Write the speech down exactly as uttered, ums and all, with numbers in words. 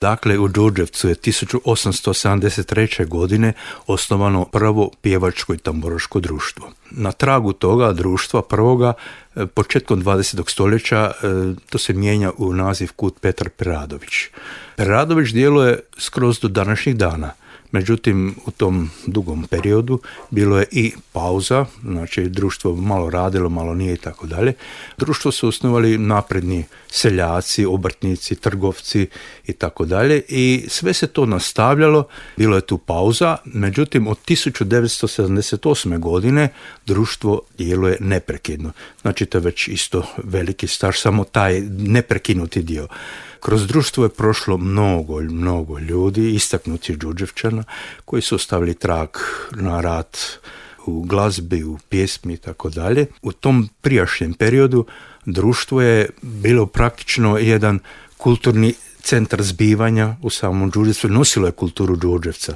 Dakle, u Đurđevcu je tisuću osamsto sedamdeset treće. godine osnovano prvo pjevačko i tamburaško društvo. Na tragu toga društva prvoga, početkom dvadesetog stoljeća, to se mijenja u naziv Kud Petar Preradović. Preradović djeluje skroz do današnjih dana. Međutim, u tom dugom periodu bilo je i pauza, znači društvo malo radilo, malo nije i tako dalje. Društvo su osnovali napredni seljaci, obrtnici, trgovci i tako dalje i sve se to nastavljalo, bilo je tu pauza, međutim od tisuću devetsto sedamdeset osme. godine društvo djeluje neprekidno. Znači to je već isto veliki staž, samo taj neprekinuti dio. Kroz društvo je prošlo mnogo, mnogo ljudi, istaknuti Đurđevčana, koji su ostavili trag na rad u glazbi, u pjesmi i tako dalje. U tom prijašnjem periodu društvo je bilo praktično jedan kulturni centar zbivanja u samom Đurđevcu, nosilo je kulturu Đurđevca.